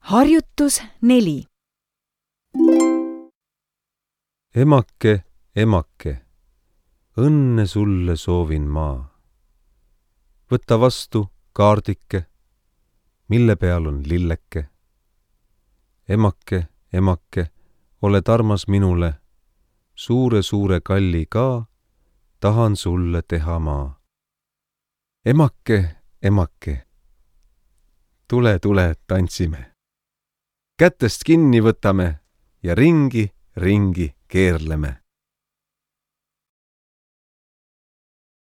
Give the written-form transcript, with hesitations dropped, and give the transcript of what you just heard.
Harjutus 4. Emake, emake, õnne sulle soovin ma. Võta vastu kaardike, mille peal on lilleke. Emake, emake, oled armas minule, suure kalli ka tahan sulle teha ma. Emake, emake, tule, tantsime. Kätest kinni võtame ja ringi keerleme.